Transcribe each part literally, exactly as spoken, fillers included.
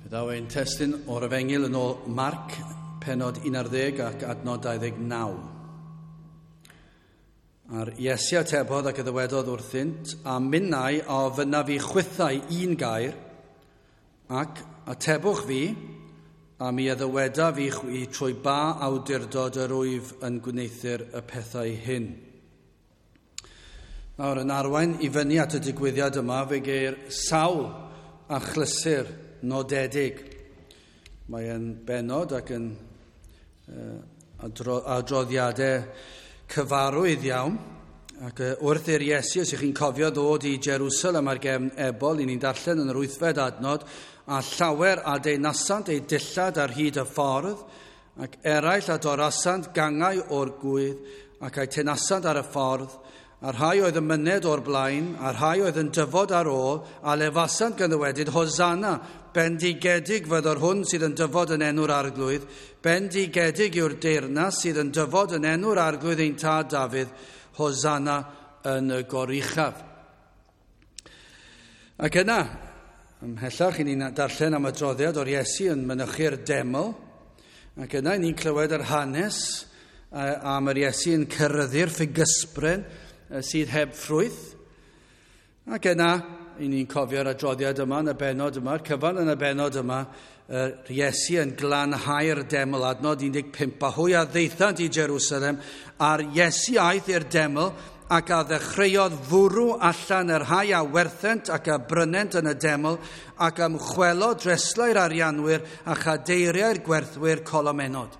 Fe ddaw ein testun o'r Efengyl yn ôl Marc, pennod un ar ddeg ac adnod dau ddeg naw. A'r Iesu atebodd ac y ddywedodd wrthynt, "A minnau a ofynnaf i chwithau un gair, ac atebwch fi, a mi a ddywedaf i chwi trwy ba awdurdod yr wyf yn gwneuthur y pethau hyn." Nawr, yn arwain i fyny at y digwyddiad yma, fe geir sawl achlysur nodedig. Mae yn benod ac yn uh, adro, adroddiadau cyfarwydd iawn. Ac uh, wrth i'r Iesu, os ych chi'n cofio, ddod i Jerusalem ar gefn ebol, i ni'n darllen yn yr wythfed adnod, "A llawer a denasant eu dillad ar hyd y ffordd, ac eraill a dorasant gangau o'r gwydd, ac a'u tenasant ar y ffordd, a rhai oedd yn myned o'r blaen, a rhai oedd yn dyfod ar ôl, a lefasant gan ddywedyd, 'Hosanna, bendigedig fyddo'r hwn sydd yn dyfod yn enw'r Arglwydd, bendigedig yw'r deyrnas sydd yn dyfod yn enw'r Arglwydd ein tad Dafydd, Hosanna yn y goruchaf.'" Ac yna, ymhellach, i ni'n darllen am adroddiad o'r Iesu yn mynychu'r deml, ac yna i ni'n clywed yr hanes am yr Iesu yn ceryddu'r ffigysbren sydd heb ffrwyth. Ac yna, i ni'n cofio'r adroddiad yma yn y benod yma, yr cyfan yn y benod yma, yr Iesu yn glanhau'r deml, adnod un deg pump, "A hwy a ddaethant i Jerusalem, a'r Iesu aeth i'r deml ac a ddechreuodd fwrw allan yr rhai a werthent ac a brynent yn y deml, ac ymchwelodd dreslau'r arianwyr a chadeiriau'r gwerthwyr colomenod."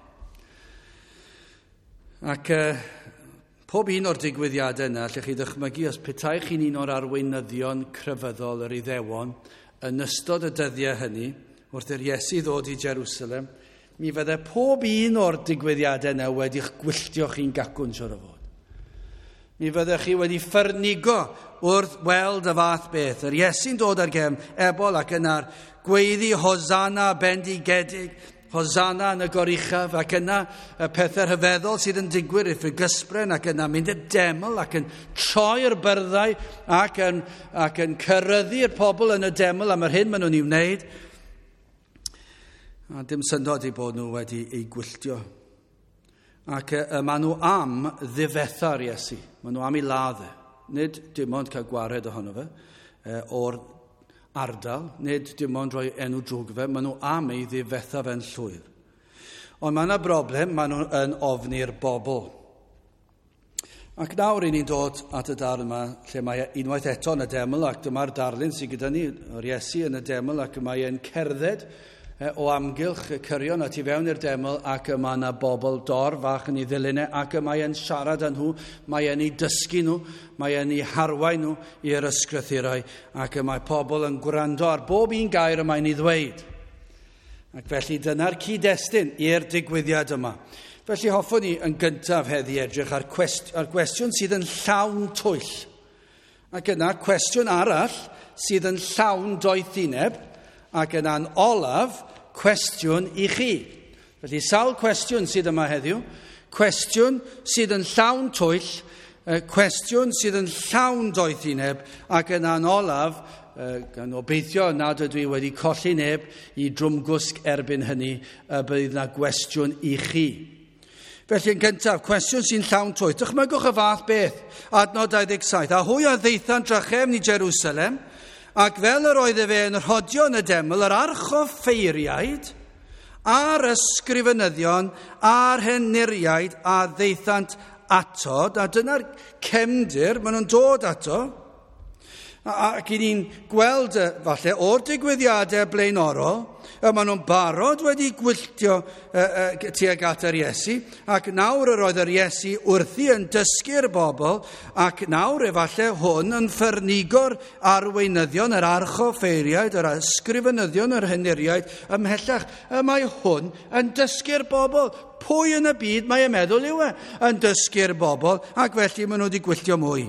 Ac uh, pob un o'r digwyddiadau yna, allwch chi ddychmygu os petai chi'n un o'r arweinyddion crefyddol yr Iddewon yn ystod y dyddiau hynny, wrth i'r Iesu ddod i Jerusalem, mi fydde pob un o'r digwyddiadau yna wedi'ch gwylltio chi'n gacwn, siwr o fod. Mi fyddech chi wedi ffyrnigo wrth weld y fath beth. Yr Iesu'n dod ar gefn ebol ac yna'r gweiddi "Hosanna, bendigedig, Hosanna yn y goruchaf", ac yna y pethau rhyfeddol sydd yn digwydd i'r ffigysbren, ac yna mynd y deml ac yn troi'r byrddau ac yn, ac yn ceryddu'r pobl yn y deml am yr hyn maen nhw'n ei wneud. A dim syndod i bod nhw wedi ei gwylltio. Ac y, maen nhw am ddifetha'r Iesu. Maen nhw am ei ladd e. Nid dim ond cael gwared ohono fe o'r ardal, nid dim ond rhoi enw drwg fe, maen nhw am ei ddifetha fe'n llwyr. Ond mae yna broblem, maen nhw yn ofni'r bobl. Ac nawr i ni'n dod at y darn yma, lle mae unwaith eto yn y deml, ac dyma'r darlun sydd gyda ni, o'r Iesu yn y deml, ac mae e'n cerdded o amgylch y cyrion a tu fewn i'r deml, ac y mae yna bobl dor fach yn ei ddilyn e, ac y mae e'n siarad â nhw, mae e'n ei dysgu nhw, mae e'n ei harwain nhw i'r ysgrythurau, ac y mae pobl yn gwrando ar bob un gair y mae'n ei ddweud. Ac felly dyna'r cyd-destun i'r digwyddiad yma. Felly hoffwn ni yn gyntaf heddi edrych ar, cwest, ar gwestiwn sydd yn llawn twyll. Ac yna cwestiwn arall sydd yn llawn doethineb, ac yna'n olaf, cwestiwn i chi. Felly sawl cwestiwn sydd yma heddiw. Cwestiwn sydd yn llawn twyll, cwestiwn sydd yn llawn doethineb, ac yna'n olaf, gan obeithio nad ydw i wedi colli neb i drwmgwsg erbyn hynny, y bydd yna gwestiwn i chi. Felly yn gyntaf, cwestiwn sy'n llawn twyll. Dychmygwch y fath beth, adnod dau ddeg saith. "A hwy a ddaethant drachefn i Jerusalem, ac fel yr oedd efe yn rhodio yn y deml, yr archoffeiriaid a'r ysgrifenyddion a'r henuriaid a ddaethant ato." A dyna'r cefndir, maen nhw'n dod ato. Ac i ni'n gweld falle o'r digwyddiadau blaenorol, y maen nhw'n barod wedi gwylltio tuag at yr Iesu, ac nawr yr oedd yr Iesu wrthi yn dysgu'r bobl, ac nawr efallai hwn yn ffyrnigo'r arweinyddion, yr archoffeiriaid, yr ysgrifenyddion, yr henuriaid, ymhellach. Y mae hwn yn dysgu'r bobl. Pwy yn y byd mae e'n meddwl yw e? Yn dysgu'r bobl, ac felly maen nhw wedi gwylltio mwy.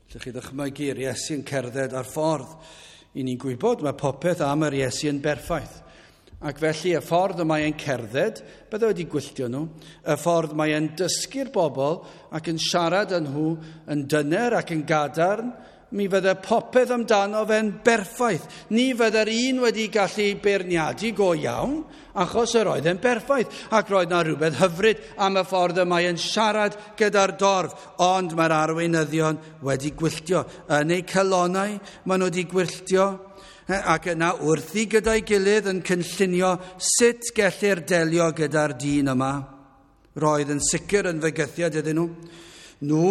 Allwch chi ddychmygu'r Iesu yn cerdded ar ffordd? I ni'n gwybod mae popeth am yr Iesu yn berffaith. Ac felly y ffordd y mae e'n cerdded, bydde wedi gwylltio nhw, y ffordd mae e'n dysgu'r bobl ac yn siarad â nhw yn dyner ac yn gadarn, Mi fydde popeth amdano fe'n berffaith. Ni fydde'r un wedi gallu beirniadu go iawn, achos yr oedd e'n berffaith. Ac roedd na rhywbeth hyfryd am y ffordd y mae e'n siarad gyda'r dorf. Ond mae'r arweinyddion wedi gwylltio. Yn eu calonnau, maen nhw wedi gwylltio. Ac yna wrthi gyda'i gilydd yn cynllunio sut gellir delio gyda'r dyn yma. Roedd yn sicr yn fygythiad iddyn nhw. Nhw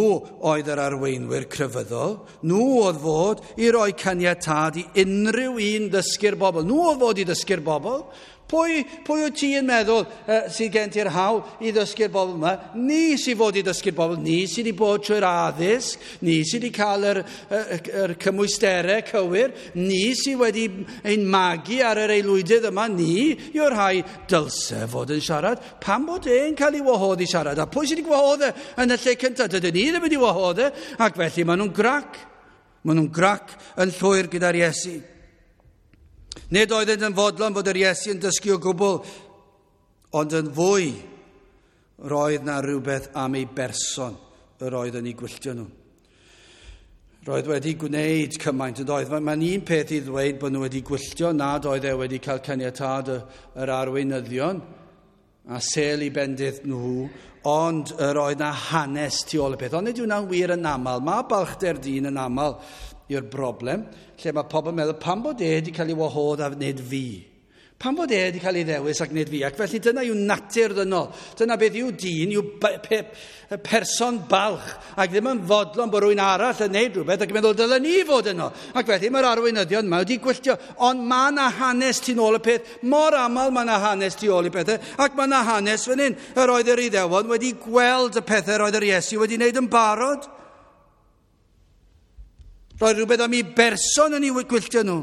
oedd yr arweinwyr crefyddol. Nhw oedd fod i roi caniatâd i unrhyw un ddysgu'r bobl. Nhw oedd fod i ddysgu'r bobl. Pwy, pwy wyt ti yn meddwl uh, sydd gen ti'r hawl i ddysgu'r bobl yma? Ni sydd fod i ddysgu'r bobl. Ni sydd wedi bod trwy'r addysg. Ni sydd wedi cael yr, yr, yr cymwysterau cywir. Ni sydd wedi ein magu ar yr aelwydydd yma. Ni yw'r rhai dylse fod yn siarad. Pam bod e'n cael ei wahodd i siarad? A pwy sydd wedi gwahodd e yn y lle cyntaf? Dydyn ni ddim wedi wahodd e. Ac felly maen nhw'n grac. Maen nhw'n grac yn llwyr gyda'r Iesu. Nid oeddent yn fodlon fod yr Iesu yn dysgu o gwbl, ond yn fwy roedd na rhywbeth am ei berson yr oedd yn ei gwylltio nhw. Roedd wedi gwneud cymaint yn doedd. Mae'n un peth i ddweud bod nhw wedi gwylltio nad oedd e wedi cael caniatâd yr arweinyddion a sêl i bendith nhw, ond yr oedd na hanes tu ôl y peth. Ond nid yw hwnna'n wir yn aml. Mae balchder dyn yn aml yw'r broblem, lle mae pobl yn meddwl pam bod e wedi cael ei wahodd a nid fi? Pam bod e wedi cael ei ddewis ac nid fi? Ac felly dyna yw natur ddynol. Dyna beth yw dyn, yw pe, person balch, ac ddim yn fodlon bod rhywun arall yn neud rhywbeth ac yn meddwl dylen ni fod yno. Ac felly mae'r arweinyddion yma wedi gwylltio, ond mae yna hanes tu nôl y peth. Mor aml mae yna hanes tu ôl y pethau, ac mae yna hanes fan hyn. Yr oedd yr Iddewon wedi gweld y pethau yr oedd yr Iesu wedi wneud yn barod. Roedd rhywbeth am ei berson yn ei gwylltio nhw.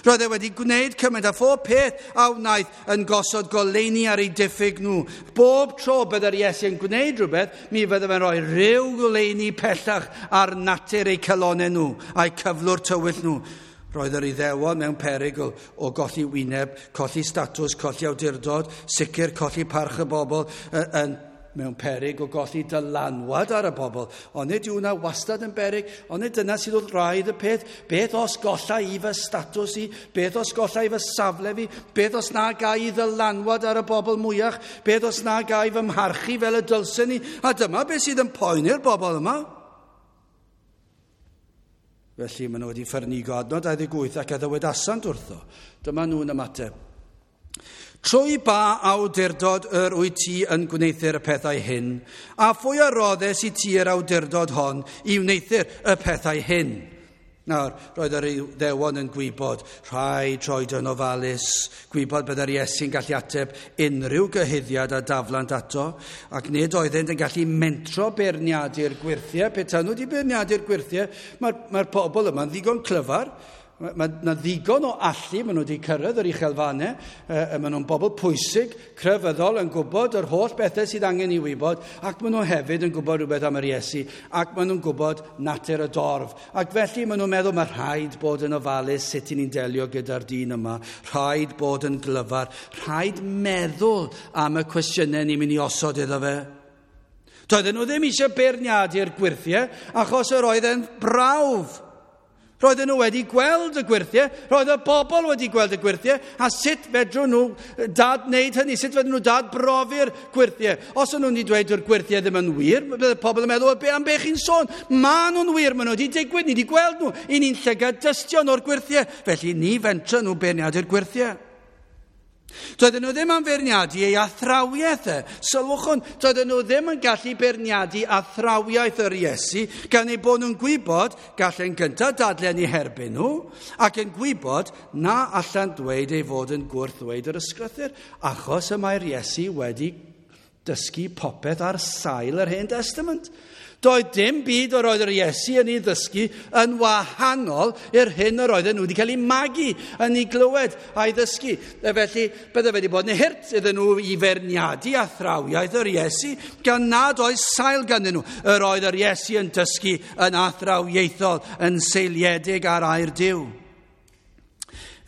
Roedd e wedi gwneud cymaint a phob peth a wnaeth yn gosod goleuni ar ei diffyg nhw. Bob tro byddai'r Iesu yn gwneud rhywbeth, mi fydde fe'n rhoi rhyw goleuni pellach ar natur eu calonnau nhw a'u cyflwr tywyll nhw. Roedd yr Iddewon mewn perygl o golli wyneb, colli statws, colli awdurdod, sicr colli parch y bobl, yn mewn peryg o golli dylanwad ar y bobl. Ond nid yw hwnna wastad yn beryg, ond nid dyna sydd wrth raidd y peth. Beth os golla i fy statws i? Beth os golla i fy safle fi? Beth os na gai i ddylanwad ar y bobl mwyach? Beth os na gai fy mharchu fel y dylsen i? A dyma beth sydd yn poeni'r bobl yma. Felly maen nhw wedi ffyrnigo adnod dau ddeg wyth ac a ddywedasant wrtho. Dyma nhw'n ymateb. Trwy ba awdurdod yr wyt ti yn gwneuthur y pethau hyn, a phwy a roddes i ti yr awdurdod hon i wneuthur y pethau hyn? Nawr, roedd yr Iddewon yn gwybod, rhaid troed yn ofalus, gwybod byddai'r Iesu'n gallu ateb unrhyw gyhuddiad a daflant ato, ac nid oeddent yn gallu mentro beirniadu'r gwyrthiau. Petai nhw wedi beirniadu'r gwyrthiau, mae'r mae pobl yma'n ddigon clyfar. Mae yna ddigon o allu, maen nhw wedi cyrraedd yr uchelfannau, e, maen nhw'n bobl pwysig, crefyddol, yn gwybod yr holl bethau sydd angen i wybod, ac maen nhw hefyd yn gwybod rhywbeth am yr Iesu, ac maen nhw'n gwybod natur y dorf. Ac felly maen nhw'n meddwl mae rhaid bod yn ofalus sut i ni'n delio gyda'r dyn yma, rhaid bod yn glyfar, rhaid meddwl am y cwestiynau ni'n mynd i osod iddo fe. Doedden nhw ddim eisiau beirniadu'r gwyrthiau, achos yr oedd e'n brawf. Roedden nhw wedi gweld y gwyrthiau, roedd y bobl wedi gweld y gwyrthiau, a sut fedrwn nhw dad wneud hynny, sut fedrwn nhw dad brofi'r gwyrthiau. Os o'n nhw'n wedi dweud yw'r gwyrthiau ddim yn wir, bydde pobl yn meddwl, be am be chi'n sôn? Ma nhw'n wir, maen nhw wedi digwydd, ni wedi gweld nhw, i ni'n llygad dystion o'r gwyrthiau, felly ni fentra nhw beirniadu'r gwyrthiau. Doedden nhw ddim am feirniadu ei athrawiaeth e. Sylwch hwn, doedden nhw ddim yn gallu beirniadu athrawiaeth yr Iesu, gan eu bod nhw'n gwybod gallen gyntaf dadlen eu herbyn nhw, ac yn gwybod na allan dweud ei fod yn gwrthddweud yr ysgrythur, achos y mae'r Iesu wedi dysgu popeth ar sail yr Hen Testament. Doedd dim byd yr oedd yr Iesu yn ei ddysgu yn wahanol i'r hyn yr oedden nhw wedi cael ei magu yn ei glywed a'i ddysgu. E felly, bydde wedi bod yn hurt iddyn nhw i feirniadu athrawiaeth yr Iesu gan nad oes sail ganddyn nhw. Yr oedd yr Iesu yn dysgu yn athrawiaethol, yn seiliedig ar air Duw.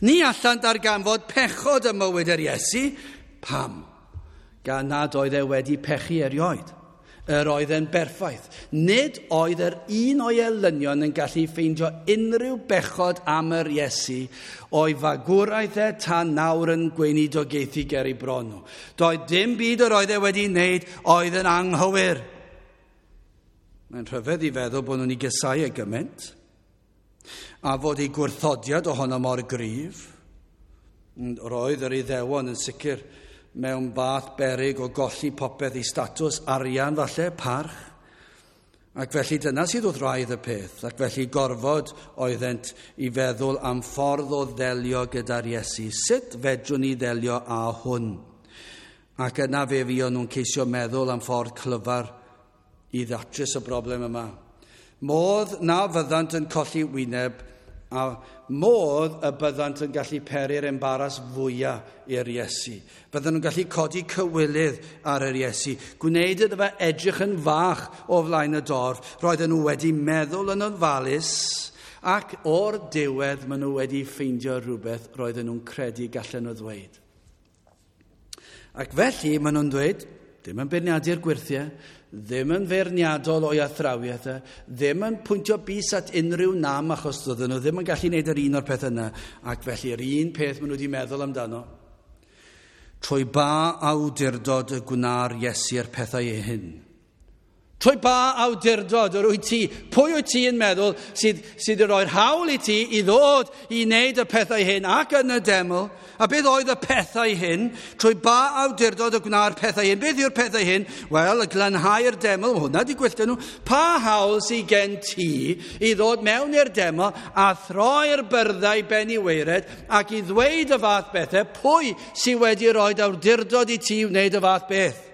Ni allan darganfod pechod ym mywyd yr Iesu. Pam? Gan nad oedd e wedi pechu erioed. Yr oedd e'n berffaith. Nid oedd yr un o'i elynion yn gallu ffeindio unrhyw bechod am yr Iesu o'i fagwraeth e tan nawr yn gweinidogaethu ger ei bron nhw. Doedd dim byd yr oedd e wedi wneud oedd yn anghywir. Mae'n rhyfedd i feddwl bod nhw'n ei gysau e gymaint a fod ei gwrthodiad ohono mor gryf. Roedd yr Iddewon yn sicr mewn fath beryg o golli popeth i statws, arian falle, parch. Ac felly dyna sydd wrth wraidd y peth, ac felly gorfod oeddent i feddwl am ffordd o ddelio gyda'r Iesu. Sut fedrwn ni ddelio â hwn? Ac yna fe fuon nhw'n ceisio meddwl am ffordd clyfar i ddatrys y broblem yma. Modd na fyddant yn colli wyneb a modd y byddant yn gallu peri'r embaras fwyaf i'r Iesu. Bydden nhw'n gallu codi cywilydd ar yr Iesu, gwneud iddo fe edrych yn fach o flaen y dorf. Roedden nhw wedi meddwl yn ofalus ac o'r diwedd maen nhw wedi ffeindio rhywbeth roedden nhw'n credu gallen nhw ddweud. Ac felly maen nhw'n dweud, ddim yn beirniadu'r gwyrthiau, ddim yn feirniadol o'i athrawiaeth e, ddim yn pwyntio bys at unrhyw nam achos doedden nhw ddim yn gallu gwneud yr un o'r peth yna, ac felly yr un peth maen nhw wedi meddwl amdano. Trwy ba awdurdod y gwna'r Iesu'r pethau hyn? Trwy ba awdurdod yr wyt ti? Pwy wyt ti yn meddwl sydd, sydd yn rhoi'r hawl i ti i ddod i wneud y pethau hyn ac yn y deml? A beth oedd y pethau hyn? Trwy ba awdurdod y gwna'r pethau hyn? Beth yw'r pethau hyn? Wel, y glanhau'r deml, hwnna di gwylltio nhw. Pa hawl sydd gen ti i ddod mewn i'r deml a throi'r byrddau ben i waered ac i ddweud y fath bethau? Pwy sydd wedi rhoi awdurdod i ti wneud y fath beth?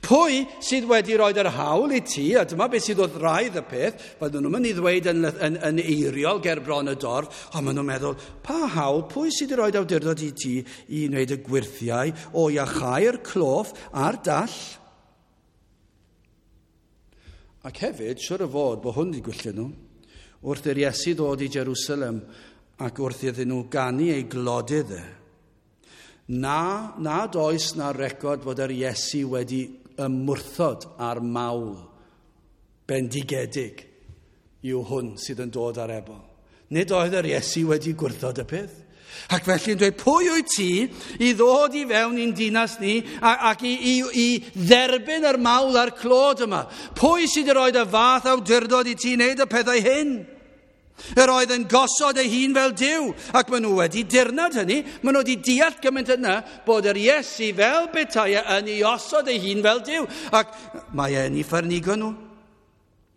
Pwy sydd wedi rhoi yr hawl i ti, a dyma beth sydd wrth wraidd y peth, fydden nhw'n mynd i ddweud yn, yn, yn eiriol ger bron y dorf, ond maen nhw'n meddwl, pa hawl, pwy sydd wedi rhoi awdurdod i ti i wneud y gwyrthiau o iachau'r cloff a'r dall? Ac hefyd, siwr o fod bod hwn wedi gwylltio nhw, wrth i'r Iesu ddod i Jerusalem ac wrth iddyn nhw ganu ei glodydd e, na, nad oes na record fod yr Iesu wedi ymwrthod ar mawl bendigedig yw hwn sydd yn dod ar ebol. Nid oedd yr Iesu wedi gwrthod y peth. Ac felly yn dweud, pwy wyt ti i ddod i fewn i'n dinas ni ac i, i, i dderbyn yr mawl a'r clod yma? Pwy sydd wedi rhoi y fath awdurdod i ti wneud y pethau hyn? Yr oedd yn gosod ei hun fel Duw, ac maen nhw wedi dirnad hynny, maen nhw wedi deall gymaint yna bod yr Iesu fel petai yn ei osod ei hun fel Duw, ac mae e'n ei ffyrnigo nhw.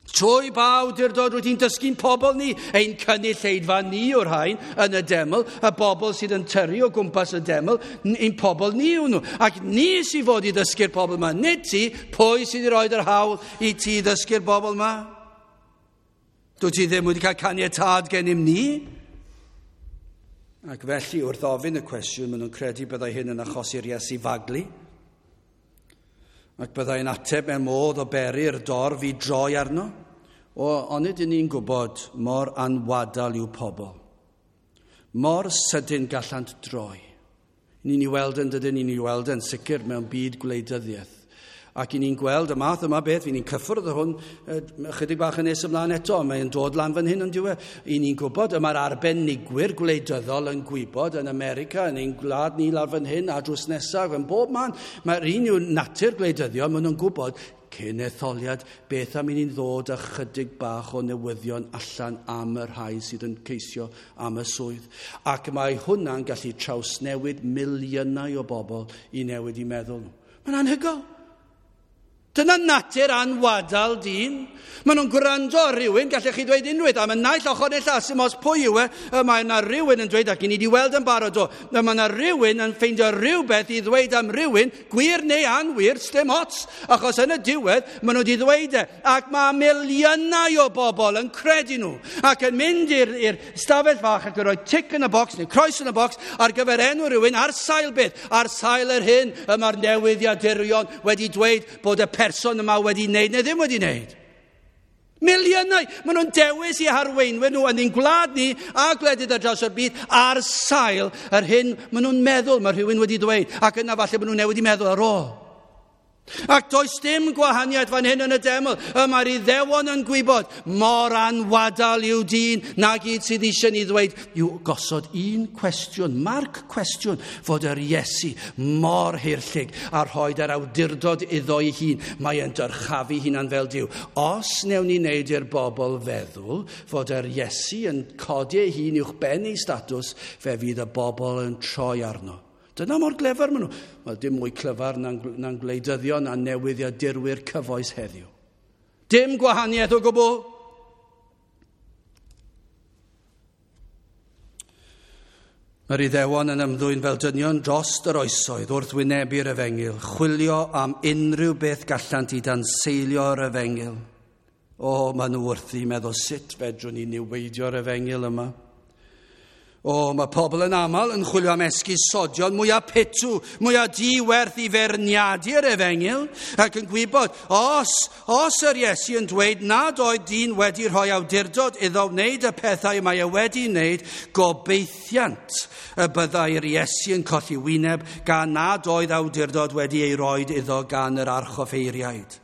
Trwy ba awdurdod wyt ti'n dysgu'n pobl ni, ein cynulleidfa ni o'r rhain yn y deml, y bobl sydd yn tyrru o gwmpas y deml, ein pobl ni yw nhw. Ac ni sydd fod i ddysgu'r pobl yma, nid ti, pwy sydd wedi rhoi'r hawl i ti ddysgu'r bobl yma? Dwi ti ddim wedi cael caniatâd gennym ni? Ac felly, wrth ofyn y cwestiwn, maen nhw'n credu byddai hyn yn achosi'r Iesu faglu. Ac byddai'n ateb mewn modd o beri'r dorf i droi arno. O, onid ydyn ni'n gwybod mor anwadal yw pobl. Mor sydyn gallant droi. Ni'n ei weld yn dydyn, ni'n ei weld yn sicr mewn byd gwleidyddiaeth. Ac i ni'n gweld y math yma beth, i ni'n cyffwrdd hwn ychydig bach yn nes ymlaen eto, mae'n dod lan fan hyn yn diwedd. I ni'n gwybod, y mae'r arbenigwyr gwleidyddol yn gwybod yn America, yn ein gwlad ni lawr fan hyn a drws nesaf, yn bob man. Mae'r un yw natur gwleidyddion, maen nhw'n gwybod cyn etholiad beth am i ni'n ddod â chydig bach o newyddion allan am y rhai sydd yn ceisio am y swydd. Ac mae hwnna'n gallu trawsnewid miliynau o bobl i newid i meddwl nhw. Mae'n anhygoel. Dyna natur anwadal dyn. Maen nhw'n gwrando ar rhywun, gallech chi ddweud unwaith, am y naill ochr neu llall, sy'n os pwy yw e, mae yna rhywun yn dweud, ac i ni wedi weld yn barod o, mae yna rhywun yn ffeindio rhywbeth i ddweud am rhywun, gwir neu anwir, sdim ots, achos yn y diwedd, maen nhw wedi ddweud e, ac mae miliynau o bobl yn credu nhw, ac yn mynd i'r stafell fach ac yn rhoi tic yn y bocs, neu croes yn y bocs, ar gyfer enw rhywun, ar sail beth, ar sail yr hyn, y mae'r newyddiadurion wedi dweud bod y person yma wedi wneud neu ddim wedi wneud. Miliynau, maen nhw'n dewis i harweinwyr nhw yn ein gwlad ni a gwledydd ar draws o'r byd ar sail yr hyn maen nhw'n meddwl mae rhywun wedi dweud, ac yna falle maen nhw'n newid i meddwl ar ôl. Ac does dim gwahaniaeth fan hyn yn y deml. Y mae'r Iddewon yn gwybod mor anwadal yw dyn na gyd sydd eisiau ni ddweud yw gosod un cwestiwn, marc cwestiwn, fod yr Iesu mor haerllug a rhoi yr awdurdod iddo ei hun. Mae e'n dyrchafu hunan fel Duw. Os newn ni wneud i'r bobl feddwl fod yr Iesu yn codi ei hun uwch ben ei statws, fe fydd y bobl yn troi arno. Dyna mor glyfar maen nhw. Wel, dim mwy clyfar na'n, na'n gwleidyddion a newyddiadurwyr cyfoes heddiw. Dim gwahaniaeth o gwbl. Mae'r Iddewon yn ymddwyn fel dynion dros yr oesoedd wrth wynebu'r efengyl, chwilio am unrhyw beth gallant i danseilio'r efengyl. O, maen nhw wrthi meddwl sut fedrwn ni niweidio'r efengyl yma. O, mae pobl yn aml yn chwilio am esgusodion mwyaf pitw, mwyaf diwerth i feirniadu'r efengyl, ac yn gwybod, os, os yr Iesu yn dweud nad oedd dyn wedi rhoi awdurdod iddo wneud y pethau mae e wedi wneud, gobeithiant y byddai'r Iesu yn colli wyneb gan nad oedd awdurdod wedi ei roed iddo gan yr archoffeiriaid.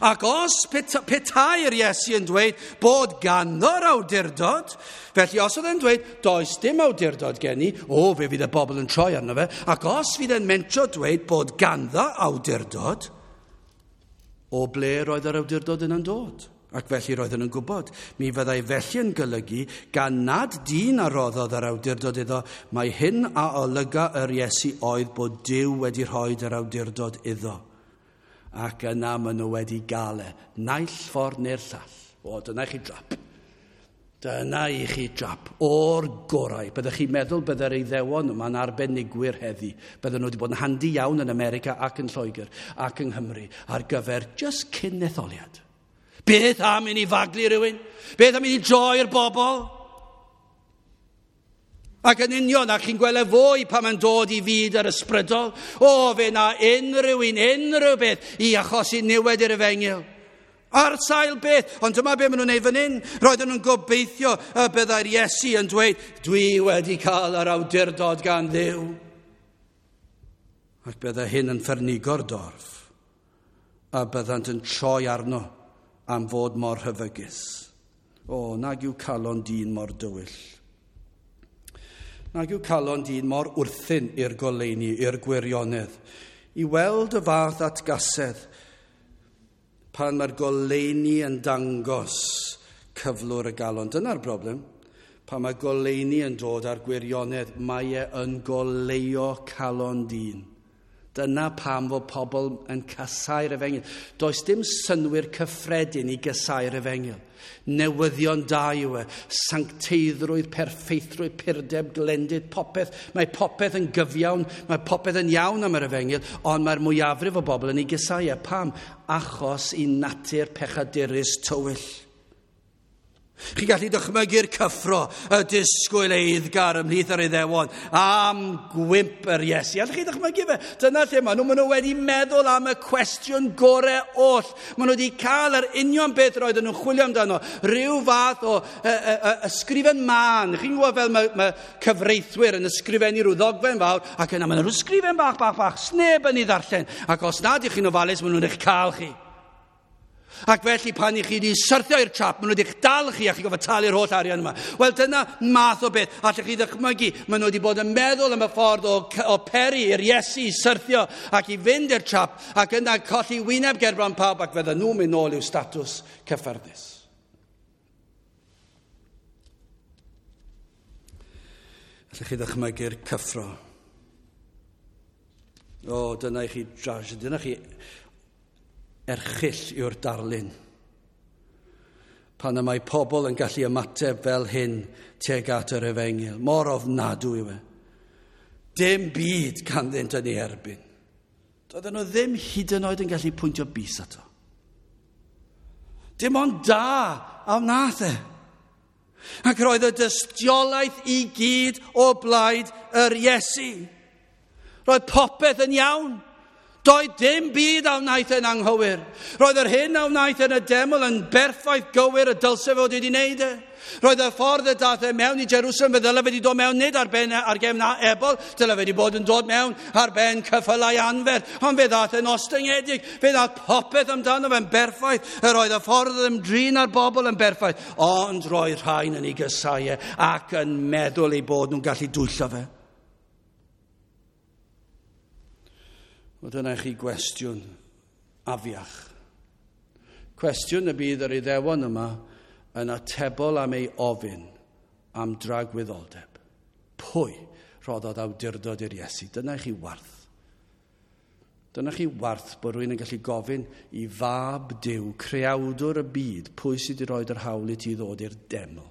Ac os petai'r Iesu yn dweud bod ganddo'r awdurdod, felly os oedd e'n dweud does dim awdurdod gen i, o, fe fydd y bobl yn troi arno fe, ac os fydd e'n mentro dweud bod ganddo awdurdod, o ble roedd yr awdurdod yna'n dod? Ac felly roedden nhw'n gwybod, mi fyddai felly yn golygu gan nad dyn a roddodd yr awdurdod iddo, mae hyn a olyga yr Iesu oedd bod Duw wedi rhoi yr awdurdod iddo. Ac yna maen nhw wedi gael e, naill ffordd neu'r llall. O, dyna i chi drap. Dyna i chi drap o'r gorau. Byddech chi'n meddwl byddai'r Iddewon yma'n arbenigwyr heddi. Bydden nhw wedi bod yn handi iawn yn America ac yn Lloegr ac yng Nghymru ar gyfer just cyn etholiad. Beth am i ni faglu rhywun? Beth am i ni droi'r bobl? Ac yn union, ac chi'n gweld e fwy pan mae'n dod i fyd yr ysbrydol. O, fe na unrhyw un, unrhyw beth i achosi niwed i'r efengyl. Ar sail beth, ond dyma be maen nhw'n neud fan hyn. Roedden nhw'n gobeithio y byddai'r Iesu yn dweud, dwi wedi cael yr awdurdod gan Dduw. Ac byddai hyn yn ffyrnigo'r dorf, a byddant yn troi arno am fod mor rhyfygus. O, nag yw calon dyn mor dywyll. Nag yw calon dyn mor wrthyn i'r goleuni, i'r gwirionedd, i weld y fath atgasedd pan mae'r goleuni yn dangos cyflwr y galon. Dyna'r broblem. Pan mae goleuni yn dod ar gwirionedd, mae e yn goleuo calon dyn. Dyna pam fod pobl yn casau'r efengyl. Does dim synnwyr cyffredin i gasau'r efengyl. Newyddion da yw e, sancteiddrwydd, perffeithrwydd, purdeb, glendid, popeth. Mae popeth yn gyfiawn, mae popeth yn iawn am yr efengyl, ond mae'r mwyafrif o bobl yn ei gasau e. Pam? Achos i natur pechadurus tywyll. Chi'n gallu dychmygu'r cyffro, y disgwyl eiddgar ymhlith yr Iddewon am gwymp yr Iesu. Allwch chi ddychmygu fe? Dyna lle maen nhw. Maen nhw wedi meddwl am y cwestiwn gorau oll. Maen nhw wedi cael yr union beth roedden nhw'n chwilio amdano. Rhyw fath o y, y, y, ysgrifen mân. Chi'n gwybod fel mae, mae cyfreithwyr yn ysgrifennu rhyw ddogfen fawr, ac yna maen nhw ysgrifen bach, bach, bach, sneb yn ei ddarllen. Ac os nad ych chi'n ofalus, maen nhw'n eich cael chi. Ac felly pan i chi wedi syrthio i'r trap, maen nhw wedi dal chi a chi gofod talu'r holl arian yma. Wel, dyna math o beth. Allwch chi ddychmygu, maen nhw wedi bod yn meddwl am y ffordd o, o peri i'r Iesu i syrthio ac i fynd i'r trap ac yna colli wyneb gerbron pawb ac fydden nhw'n mynd nôl i'w statws cyffyrddus. Allwch chi ddychmygu'r cyffro. O, dyna i chi drasiedi, dyna chi erchyll yw'r darlun. Pan y mae pobl yn gallu ymateb fel hyn tuag at yr efengyl. Mor ofnadwy yw e. Dim byd ganddynt yn ei erbyn. Doedden nhw ddim hyd yn oed yn gallu pwyntio bys ato. Dim ond da a wnaeth e. Ac roedd y dystiolaeth i gyd o blaid yr Iesu. Roedd popeth yn iawn. Doedd dim byd a wnaeth yn anghywir. Roedd yr hyn a wnaeth yn y deml yn berffaith gywir y dylse fod wedi wneud e. Roedd y ffordd y dath e mewn i Jerusalem, fe ddyle fe wedi dod mewn nid ar ben ar gefn ebol, dyle fe wedi bod yn dod mewn ar ben ceffylau anferth, ond fe ddath e'n ostyngedig, fe ddath popeth amdano fe'n berffaith. Yr oedd y ffordd ymdrin â'r bobl yn berffaith, ond roedd rhain yn ei gysau e ac yn meddwl eu bod nhw'n gallu dwyllo fe. Wel, dyna i chi gwestiwn afiach. Cwestiwn y bydd yr Iddewon yma yn atebol am ei ofyn am dragwyddoldeb. Pwy roddodd awdurdod i'r Iesu? Dyna i chi warth. Dyna chi warth bod rhywun yn gallu gofyn i fab Duw, creawdwr y byd, pwy sydd wedi rhoi yr hawl i ti ddod i'r deml?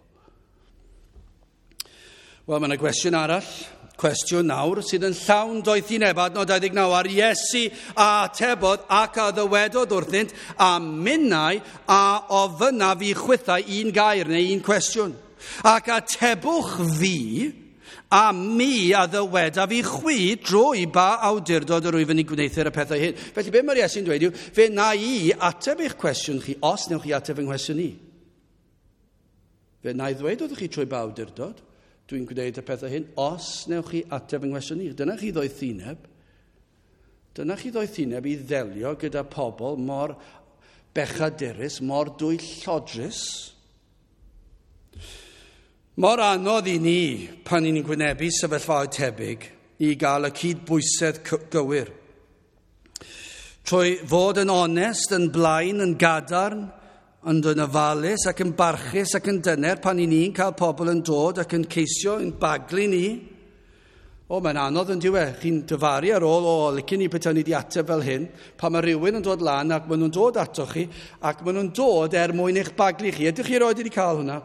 Wel, mae yna gwestiwn arall. Cwestiwn nawr sydd yn llawn doethineb, adnod dau ddeg naw, ar Iesu a atebodd ac a ddywedodd wrthynt, a minnau a ofynnaf i chwithau un gair neu un cwestiwn. Ac atebwch fi, a mi a ddywedaf i chwi drwy ba awdurdod yr wyf yn ei gwneuthur y pethau hyn. Felly be mae'r Iesu'n dweud yw, fe na i ateb eich cwestiwn chi os newch chi ateb fy nghwestiwn i. Fe na i ddweud wrthych chi trwy ba awdurdod dwi'n gwneud y pethau hyn, os newch chi ateb yng nghwestiwn i. Dyna chi ddoethineb. Dyna chi ddoethineb i ddelio gyda pobl mor bechadurus, mor dwyllodrus. Mor anodd i ni, pan ni'n gwynebu sefyllfaoedd tebyg, i gael y cydbwysedd gywir. Trwy fod yn onest, yn blaen, yn gadarn, ond yn ofalus ac yn barchus ac yn dyner pan i ni'n cael pobl yn dod ac yn ceisio yn baglu ni. O, mae'n anodd yn diwe. Chi'n dyfaru ar ôl, o, licen ni petai ni wedi ateb fel hyn, pan mae rhywun yn dod lan ac maen nhw'n dod atoch chi ac maen nhw'n dod er mwyn eich baglu chi. Ydych chi erioed wedi cael hwnna?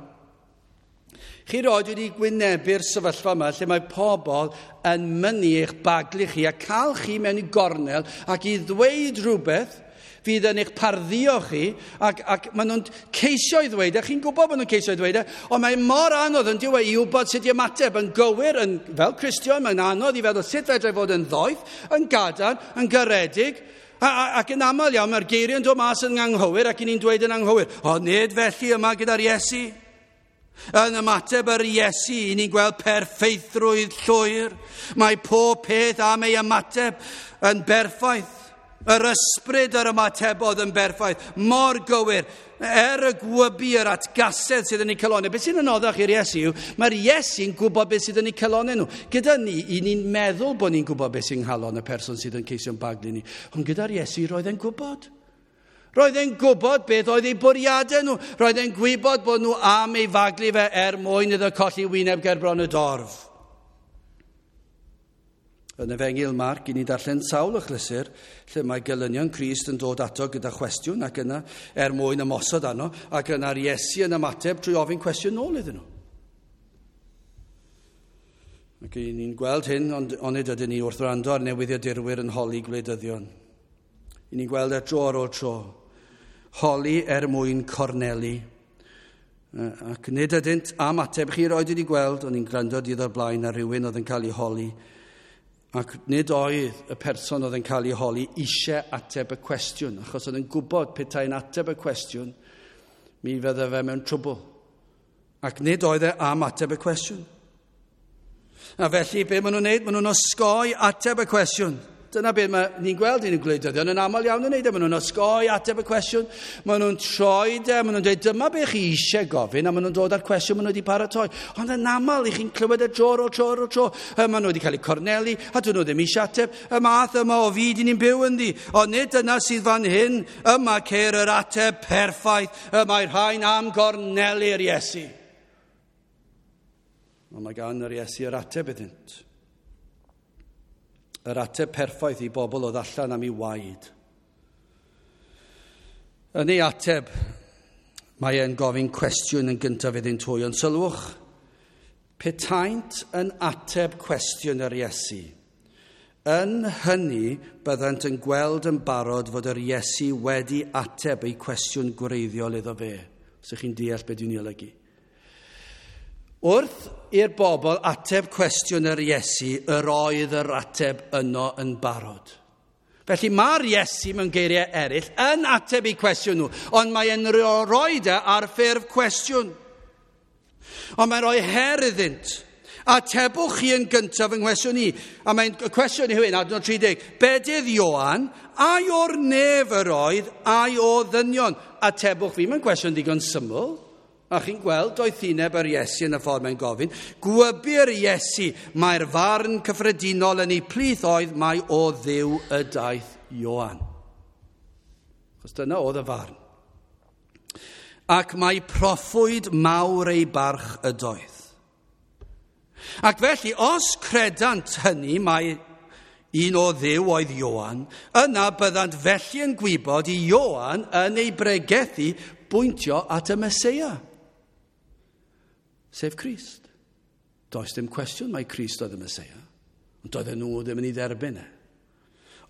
Chi erioed wedi gwynebu'r sefyllfa yma lle mae pobl yn mynnu eich baglu chi a cael chi mewn i gornel ac i ddweud rhywbeth fydd yn eich parddio chi, ac, ac maen nhw'n ceisio i ddweud e, chi'n gwybod bod nhw'n ceisio i ddweud e, ond mae mor anodd yn diwedd i wybod sut i ymateb yn gywir, yn, fel Cristion, mae'n anodd i feddwl sut fedrai fod yn ddoeth, yn gadarn, yn garedig, a, a, ac yn aml iawn mae'r geiriau yn dod mas yn anghywir ac i ni'n dweud yn anghywir. Ond nid felly yma gyda'r Iesu. Yn ymateb yr Iesu, i ni'n gweld perffeithrwydd llwyr. Mae pob peth am ei ymateb yn berffaith. Yr ysbryd yr ymatebodd yn berffaith, mor gywir, er y gwybu yr atgasedd sydd yn eu calonau. Beth sy'n anoddach i'r Iesu yw, mae'r Iesu'n gwybod beth sydd yn eu calonau nhw. Gyda ni, i ni'n meddwl bod ni'n gwybod beth sy'n nghalon y person sydd yn ceisio'n baglu ni. Ond gyda'r Iesu, roedd e'n gwybod. Roedd e'n gwybod beth oedd eu bwriadau nhw. Roedd e'n gwybod bod nhw am ei faglu fe er mwyn iddo colli wyneb gerbron y dorf. Yn Efengyl Marc, i ni darllen sawl achlysur lle mae gelynion Crist yn dod ato gyda chwestiwn ac yna er mwyn ymosod arno, ac yna'r Iesu yn ymateb trwy ofyn cwestiwn nôl iddyn nhw. Ac i ni'n gweld hyn, ond onid ydyn ni wrth wrando ar newyddiadurwyr yn holi gwleidyddion. I ni'n gweld e dro ar ôl tro. Holi er mwyn cornelu. Ac nid ydynt am ateb. Chi roed wedi gweld, o'n i'n gwrando dydd o'r blaen ar rhywun oedd yn cael ei holi. Ac nid oedd y person oedd yn cael ei holi eisiau ateb y cwestiwn, achos oedd yn gwybod petai'n ateb y cwestiwn, mi fydde fe mewn trwbl. Ac nid oedd e am ateb y cwestiwn. A felly, be maen nhw'n neud? Maen nhw'n osgoi ateb y cwestiwn. Dyna beth mae ni'n gweld yn y gwleidyddion yn aml iawn yn neud e. Maen nhw'n osgoi ateb y cwestiwn, maen nhw'n troi de, maen nhw'n dweud dyma be chi eisiau gofyn, a maen nhw'n dod â'r cwestiwn maen nhw wedi paratoi. Ond yn aml, i chi'n clywed e dro ar ôl tro ar ôl tro. Maen nhw wedi cael eu cornelu, a dyn nhw ddim eisiau ateb. Y math yma o fyd i ni'n byw ynddi. Ond nid dyna sydd fan hyn, yma ceir yr ateb perffaith. Y mae rhain am gornelu'r Iesu. Ond mae gan yr Iesu yr ateb iddynt. Yr ateb perffaith i bobl oedd allan am ei waed. Yn ei ateb, mae e'n gofyn cwestiwn yn gyntaf iddynt hwy, ond sylwch, petaent yn ateb cwestiwn yr Iesu, yn hynny byddant yn gweld yn barod fod yr Iesu wedi ateb ei cwestiwn gwreiddiol iddo fe. Os ydych chi'n deall beth dwi'n ei olygu. Wrth i'r bobl ateb cwestiwn yr Iesu, yr oedd yr ateb yno yn barod. Felly mae'r Iesu mewn geiriau eraill yn ateb eu cwestiwn nhw, ond mae'n rhoi e ar ffurf cwestiwn. Ond mae'n rhoi her iddynt. Atebwch chi yn gyntaf yng nghwestiwn i. A mae'n y cwestiwn yw hyn, adnod tri deg. Bedydd Ioan, ai o'r nef yr oedd, ai o ddynion? Atebwch fi, mae'n cwestiwn digon syml. A chi'n gweld doethineb yr Iesu yn y ffordd mae'n gofyn. Gwybu'r Iesu, mae'r farn cyffredinol yn ei plith oedd mai o Dduw y daeth Ioan. Chos dyna oedd y farn. Ac mae proffwyd mawr ei barch ydoedd. Ac felly, os credant hynny, mae un o Dduw oedd Ioan, yna byddant felly yn gwybod i Ioan yn ei bregethu bwyntio at y Meseia, sef Crist. Does dim cwestiwn mai Crist oedd y Meseia, ond doedden nhw ddim yn ei dderbyn e.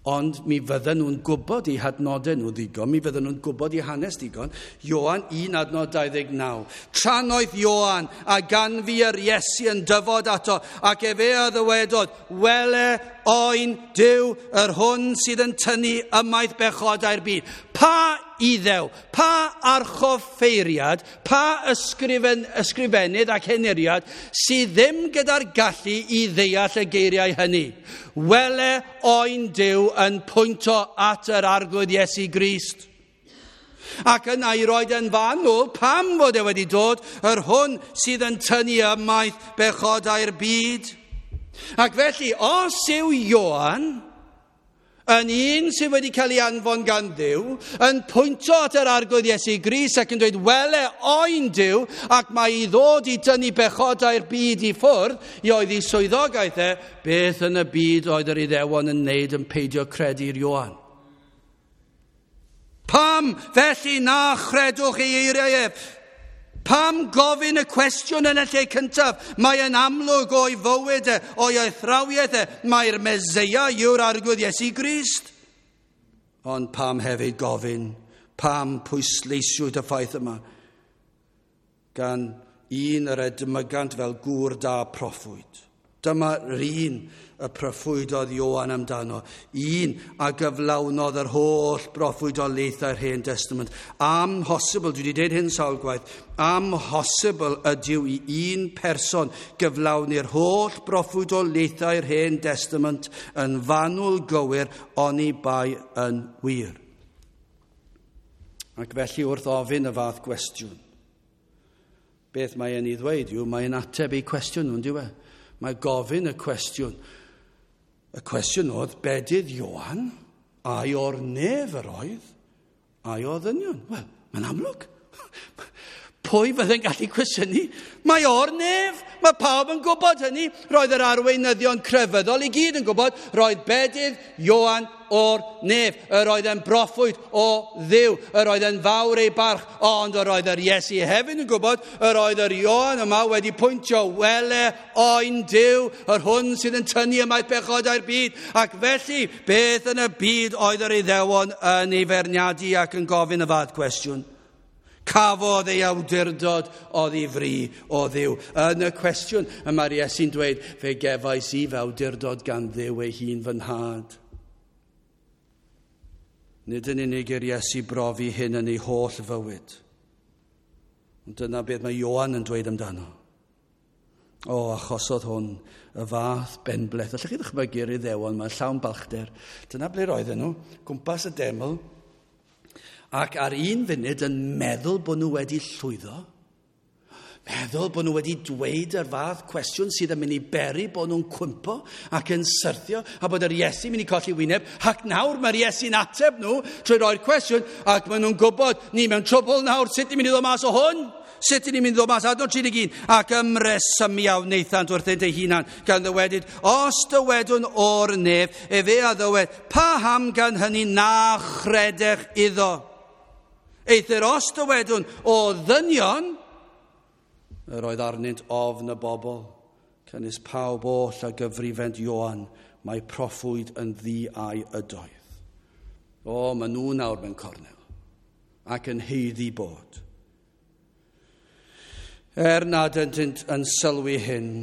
Ond mi fydden nhw'n gwybod eu hadnodau nhw ddigon, mi fydden nhw'n gwybod eu hanes digon. Ioan un adnod dau ddeg naw. Trannoeth Ioan a ganfu yr Iesu yn dyfod ato, ac efe a ddywedodd, wele oen Duw yr hwn sydd yn tynnu ymaith bechodau'r byd. Pa Iddew, pa archoffeiriad, pa ysgrifen, ysgrifennydd ac henuriad sydd ddim gyda'r gallu i ddeall y geiriau hynny. Wele oen Duw yn pwynto at yr Arglwydd Iesu Grist. Ac yna i roed yn fanwl pam fod e wedi dod, yr hwn sydd yn tynnu ymaith bechodau'r byd. Ac felly, os yw Ioan yn un sydd wedi cael ei anfon gan Dduw, yn pwynto at yr Arglwydd Iesu Grist ac yn dweud, wele oen Duw, ac mae i ddod i dynnu bechodau'r byd i ffwrdd, i oedd ei swyddogaeth e, beth yn y byd oedd yr Iddewon yn wneud yn peidio credu'r Ioan? Pam felly na chredwch ei eiriau ef? Pam gofyn y cwestiwn yn y lle cyntaf? Mae yn amlwg o'i fywyd e, o'i athrawiaeth e, mae'r Meseia yw'r Arglwydd Iesu Grist. Ond pam hefyd gofyn, pam pwysleisiwyd y ffaith yma? Gan un yr edmygant fel gŵr da proffwyd. Dyma'r un y proffwydodd Ioan amdano, un a gyflawnodd yr holl broffwydoliaethau'r Hen Testament. Amhosibl, dwi wedi dweud hyn sawl gwaith, amhosibl ydyw i un person gyflawni'r holl broffwydoliaethau'r Hen Testament yn fanwl gywir oni bai yn wir. Ac felly wrth ofyn y fath gwestiwn, beth mae e'n ei ddweud yw, mae'n ateb ei cwestiwn nhw'n dyw e? Mae gofyn y cwestiwn. Y cwestiwn oedd, bedydd Ioan, ai o'r nef yr oedd, ai o ddynion? Wel, mae'n amlwg. Pwy fydde'n gallu cwestiynu? Mae o'r nef. Mae pawb yn gwybod hynny. Roedd yr arweinyddion crefyddol i gyd yn gwybod. Roedd bedydd Ioan o'r nef. Yr oedd e'n broffwyd o Dduw. Yr oedd e'n fawr ei barch. Ond yr oedd yr Iesu hefyd yn gwybod. Yr oedd yr Ioan yma wedi pwyntio, wele oen Duw, yr hwn sydd yn tynnu ymaith bechodau'r byd. Ac felly, beth yn y byd oedd yr Iddewon yn ei feirniadu ac yn gofyn y fath cwestiwn? Cafodd ei awdurdod oddi fri o Dduw. Yn y cwestiwn, y mae'r Iesu'n dweud, fe gefais i fy awdurdod gan Dduw ei hun fy nhad. Nid yn unig i'r Iesu brofi hyn yn ei holl fywyd. Ond dyna beth mae Ioan yn dweud amdano. O, achosodd hwn y fath benbleth. Allwch chi ddychmygu'r Iddewon, mae'n llawn balchder. Dyna ble roedden nhw, gwmpas y deml. Ac ar un funud yn meddwl bod nhw wedi llwyddo, meddwl bod nhw wedi dweud yr fath cwestiwn sydd yn mynd i beri bod nhw'n cwympo ac yn syrthio, a bod yr Iesu mynd i colli wyneb, ac nawr mae'r Iesu'n ateb nhw trwy roi'r cwestiwn, ac maen nhw'n gwybod, ni mewn trwbl nawr, sut ni'n mynd i ddod mas o hwn? Sut ni'n mynd i ddod mas? Adnod tri deg un, ac ymresymu a wnaethant wrthynt eu hunan, gan ddywedyd, os dywedwn o'r nef, efe a ddywed, paham gan hynny na chredech iddo? Eithr os dywedwn o ddynion, yr oedd arnynt ofn y bobl, canys pawb oll a gyfrifent Ioan, mae proffwyd yn ddi-ai ydoedd. O, maen nhw nawr mewn cornel, ac yn haeddu bod. Er nad ydynt yn sylwi hyn,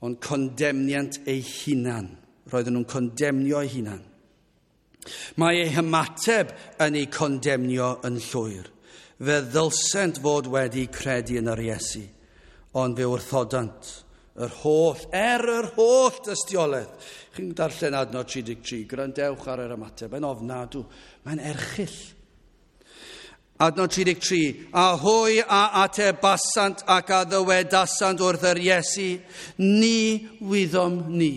ond condemniant eu hunan, roedden nhw'n condemnio eu hunan. Mae eu hymateb yn eu condemnio yn llwyr. Fe ddylsent fod wedi credu yn yr Iesu, ond fe wrthodant yr holl, er yr holl dystiolaeth. Chi'n darllen adnod tri deg tri, gwrandewch ar yr ymateb, yn ofnadw, mae'n erchyll. Adnod tri deg tri, a hwy a atebasant ac a ddywedasant wrth yr Iesu, ni wyddom ni.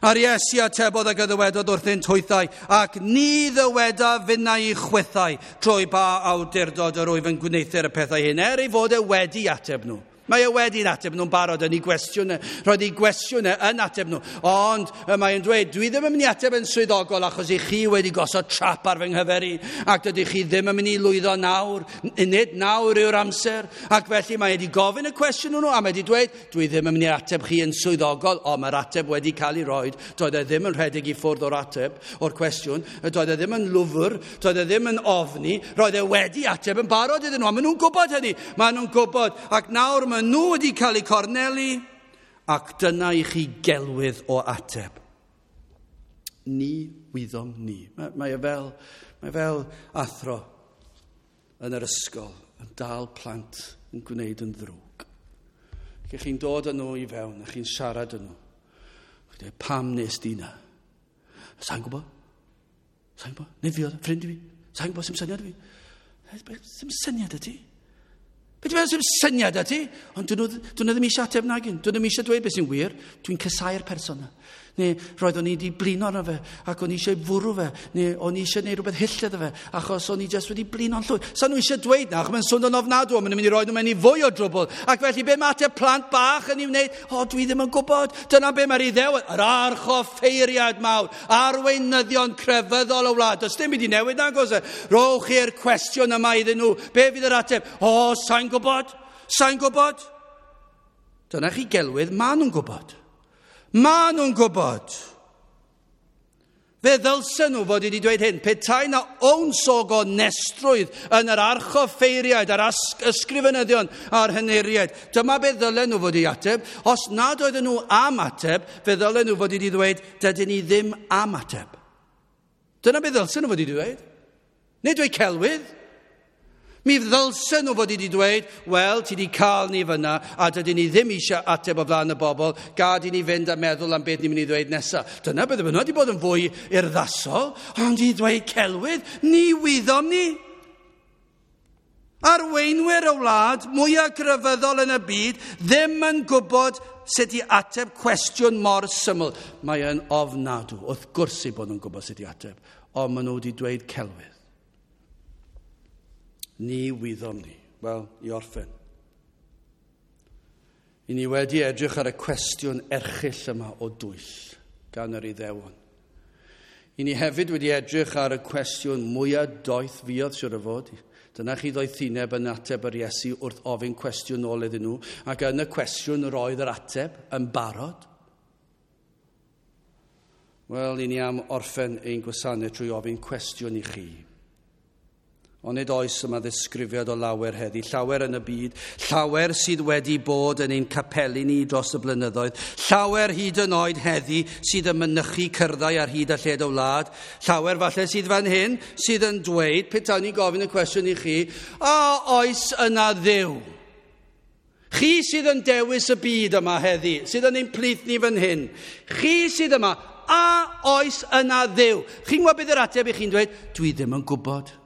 A'r Iesu atebodd ac a ddywedodd wrthynt hwythau, ac ni ddyweda finnau i chwithau trwy ba awdurdod yr wyf yn gwneuthur y pethau hyn, er ei fod e wedi ateb nhw. Mae e wedi'n ateb nhw'n barod yn ei gwestiwnau. Roedd ei gwestiwnau yn ateb nhw. Ond mae'n dweud, dwi ddim yn mynd i ateb yn swyddogol achos i chi wedi gosod trap ar fy nghyfer i, ac dydych chi ddim yn mynd i lwyddo nawr. Nid nawr yw'r amser. Ac felly mae wedi gofyn y cwestiwn nhw, a mae wedi dweud, dwi ddim yn mynd i ateb chi yn swyddogol, ond mae'r ateb wedi cael ei roed. Doedd e ddim yn rhedeg i ffwrdd o'r ateb, o'r cwestiwn. Doedd e ddim yn lwfr, doedd e ddim yn ofni. Roedd e wedi ateb yn barod iddyn nhw, a maen nhw'n gwybod hynny. Maen nhw'n gwybod. Ac nawr maen nhw wedi cael eu cornelu, ac dyna i chi gelwydd o ateb. Ni wyddom ni. Mae, mae e fel, mae fel athro yn yr ysgol yn dal plant yn gwneud yn ddrwg. Lle chi'n dod â nhw i fewn a chi'n siarad â nhw. Chi'n dweud, pam nes di na? Sa'n gwybod? Sa'n gwybod? Neu fi oedd, ffrind i fi. Sa'n gwybod, sy'm syniad i fi. Sy'm syniad y ti? Be ti'n meddwl sy'n syniad â ti? Ond dyn nhw, dyn nhw ddim eisiau ateb nagyn. Dyn nhw ddim eisiau dweud beth sy'n wir. Dwi'n casau'r person yna. Neu roedd o'n i wedi blino arno fe, ac o'n i eisiau fwrw fe, neu o'n i eisiau gwneud rhywbeth hyll iddo fe, achos o'n i jyst wedi blino'n llwyr. Sa nhw eisiau dweud na, achos mae'n swnio'n ofnadw, maen nhw'n mynd i roi nhw mewn i fwy o drwbl. Ac felly be mae ateb plant bach yn ei wneud? O, dwi ddim yn gwybod. Dyna be mae'r Iddew, yr archoffeiriad mawr, arweinyddion crefyddol y wlad. Does dim byd i newid nag oes e? Rowch chi'r cwestiwn yma iddyn nhw. Be fydd yr ateb? O, sa'n gwybod? Sa'n gwybod? Dyna chi gelwydd, maen nhw'n gwybod. Maen nhw'n gwybod. Fe ddylsen nhw fod wedi dweud hyn, petai na owns o gonestrwydd yn yr archoffeiriaid, a'r ysgrifenyddion a'r henuriaid. Dyma be ddylen nhw fod i ateb. Os nad oedden nhw am ateb, fe ddylen nhw fod wedi dweud, dydyn ni ddim am ateb. Dyna be ddylsen nhw fod wedi dweud. Nid dweud celwydd. Mi ddylsen nhw fod wedi dweud, wel, ti wedi cael ni fyna, a dydyn ni ddim eisiau ateb o flaen y bobl, gad i ni fynd a meddwl am beth ni'n mynd i ddweud nesaf. Dyna beth nhw wedi bod yn fwy urddasol, ond i ddweud celwydd, ni wyddom ni. Arweinwyr y wlad, mwyaf grefyddol yn y byd, ddim yn gwybod sut i ateb cwestiwn mor syml. Mae yn ofnadw, wrth gwrs eu bod nhw'n gwybod sut i ateb, ond maen nhw wedi dweud celwydd. Ni wyddom ni. Wel, i orffen. I ni wedi edrych ar y cwestiwn erchyll yma o dwyll gan yr Iddewon. I ni hefyd wedi edrych ar y cwestiwn mwyaf doeth fuodd siwr o fod. Dyna chi ddoethineb yn ateb yr Iesu wrth ofyn cwestiwn nôl iddyn nhw, ac yn y cwestiwn roedd yr ateb yn barod. Wel, i ni am orffen ein gwasanaeth trwy ofyn cwestiwn i chi. Ond nid oes yma ddisgrifiad o lawer heddi, llawer yn y byd, llawer sydd wedi bod yn ein capeli ni dros y blynyddoedd, llawer hyd yn oed heddi sydd yn mynychu cyrddau ar hyd a lled o wlad, llawer falle sydd fan hyn sydd yn dweud, petawn ni'n gofyn y cwestiwn i chi, a oes yna Dduw? Chi sydd yn dewis y byd yma heddi, sydd yn ein plith ni fan hyn, chi sydd yma, a oes yna Dduw? Chi'n gwybod beth yr ateb i chi'n dweud? Dwi ddim yn gwybod.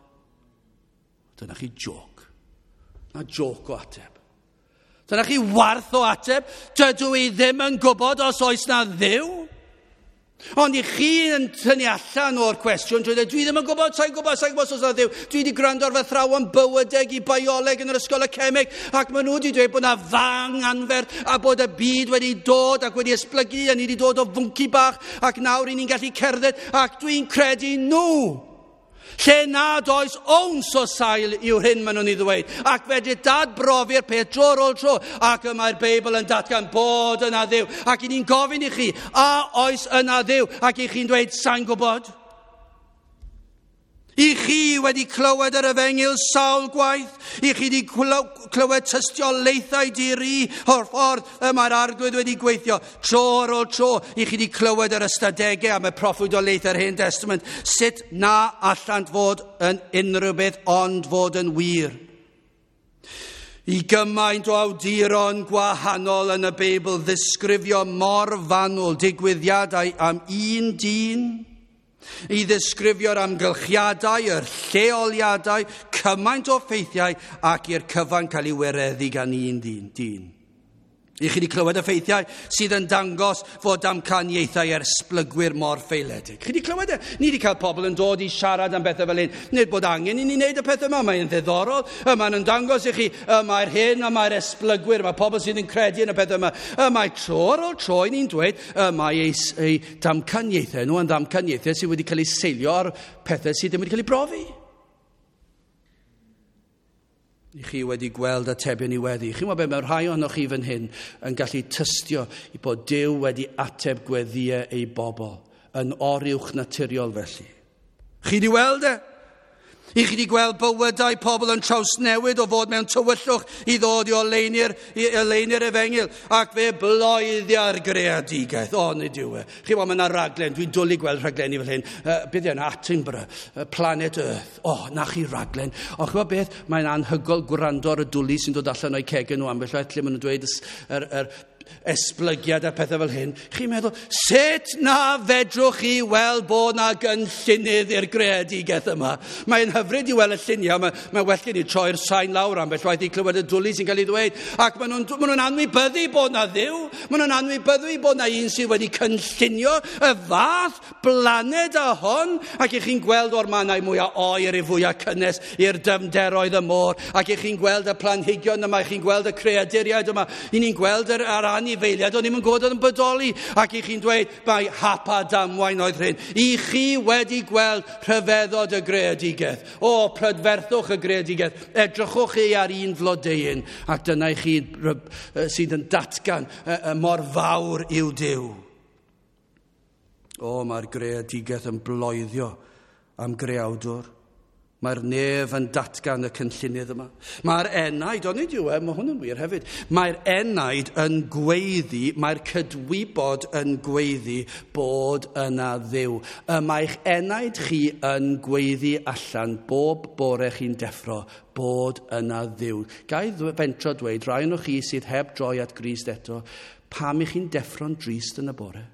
Dyna chi joc. Na joc o ateb. Dyna chi warth o ateb. Dydw i ddim yn gwybod os oes na Dduw. Ond i chi yn tynnu allan o'r cwestiwn, dwi dweud, dwi ddim yn gwybod, sa'n gwybod, sa'n gwybod os oes na Dduw. Dwi wedi gwrando ar fy athrawon bywydeg i bioleg yn yr ysgol y cemeg, ac maen nhw wedi dweud bod na fang anferth a bod y byd wedi dod ac wedi esblygu, a ni wedi dod o fwnci bach, ac nawr i ni'n gallu cerdded, ac dwi'n credu nhw. Lle nad oes owns o sail yw'r hyn maen nhw'n ei ddweud. Ac fedri dadbrofi'r peth tro ar ôl tro. Ac y mae'r Beibl yn datgan bod yna Dduw. Ac i ni'n gofyn i chi, a oes yna Dduw? Ac i chi'n dweud, sa'n gwybod? I chi wedi clywed yr efengyl sawl gwaith, i chi wedi clywed tystiolaethau di-ri o'r ffordd y mae'r Arglwydd wedi gweithio tro ar ôl tro. I chi wedi clywed yr ystadegau am y proffwydoliaethau'r Hen Testament, sut na allant fod yn unrhyw beth ond fod yn wir. I gymaint o awduron gwahanol yn y Beibl ddisgrifio mor fanwl digwyddiadau am un dyn, i ddisgrifio'r amgylchiadau, yr lleoliadau, cymaint o ffeithiau ac i'r cyfan cael ei wireddu gan un dyn. dyn. I chi wedi clywed y ffeithiau sydd yn dangos fod damcaniaethau esblygwyr mor ffaeledig. Chi wedi clywed e? Ni wedi cael pobl yn dod i siarad am bethau fel hyn. Nid bod angen i ni wneud y pethau yma, mae'n ddiddorol. Mae'n yn dangos i chi, y mae'r hyn, y mae'r esblygwyr, mae pobl sydd yn credu yn y pethau yma. Y mae tro ar ôl tro i ni'n dweud, y mae ei, ei damcaniaethau nhw yn damcaniaethau sydd wedi cael eu seilio ar pethau sydd ddim wedi cael eu brofi. I chi wedi gweld atebion i weddi. Chi'n gwybod beth, mae rhai ohonoch chi fan hyn yn gallu tystio i bod Duw wedi ateb gweddïau ei bobl yn oruwch naturiol felly. Chi wedi weld e? I chi wedi gweld bywydau pobl yn trawsnewid o fod mewn tywyllwch i ddod i oleuni'r, i oleuni'r efengyl, ac fe bloeddia'r greadigaeth. O, nid yw e. Chi weld, mae yna raglen, dwi'n dwlu gweld rhaglenni fel hyn. Uh, beth yna, Attenborough, uh, Planet Earth. O, na chi raglen. O, chi'n gwybod beth? Mae'n anhygoel gwrando ar y dwlu sy'n dod allan o'i cegau nhw ambell waith, lle maen nhw'n dweud yr, yr esblygiad a pethau fel hyn. Chi'n meddwl, sut na fedrwch chi weld bod na gynllunydd i'r greadigaeth yma? Mae'n hyfryd i weld y lluniau, mae, mae well gen i troi'r sain lawr ambell waith i clywed y dwlu sy'n cael ei ddweud. Ac maen nhw'n maen nhw'n anwybyddu bod na Dduw, maen nhw'n anwybyddu bod na un sydd wedi cynllunio y fath blaned a hon. Ac i chi'n gweld o'r mannau mwyaf oer i fwyaf cynnes i'r dyfnderoedd y môr. Ac i chi'n gweld y planhigion yma, i chi'n gweld y creaduriaid yma, i ni'n gweld yr, yr anifeiliaid, o'n i'n gwybod oedd yn bodoli, ac i chi'n dweud, mae hap a damwain oedd hyn. I chi wedi gweld rhyfeddod y greadigaeth. O, prydferthwch y greadigaeth. Edrychwch chi ar un flodeuyn, ac dyna i chi sydd yn datgan mor fawr yw Duw. O, mae'r greadigaeth yn bloeddio am greawdwr. Mae'r nef yn datgan y cynllunydd yma. Mae'r enaid, onid yw e, mae hwn yn wir hefyd. Mae'r enaid yn gweiddi, mae'r cydwybod yn gweiddi bod yna Dduw. Y mae'ch enaid chi yn gweiddi allan bob bore chi'n deffro bod yna Dduw. Ga i fentro dweud, rai ohonoch chi sydd heb droi at Grist eto, pam i chi'n deffro'n drist yn y bore?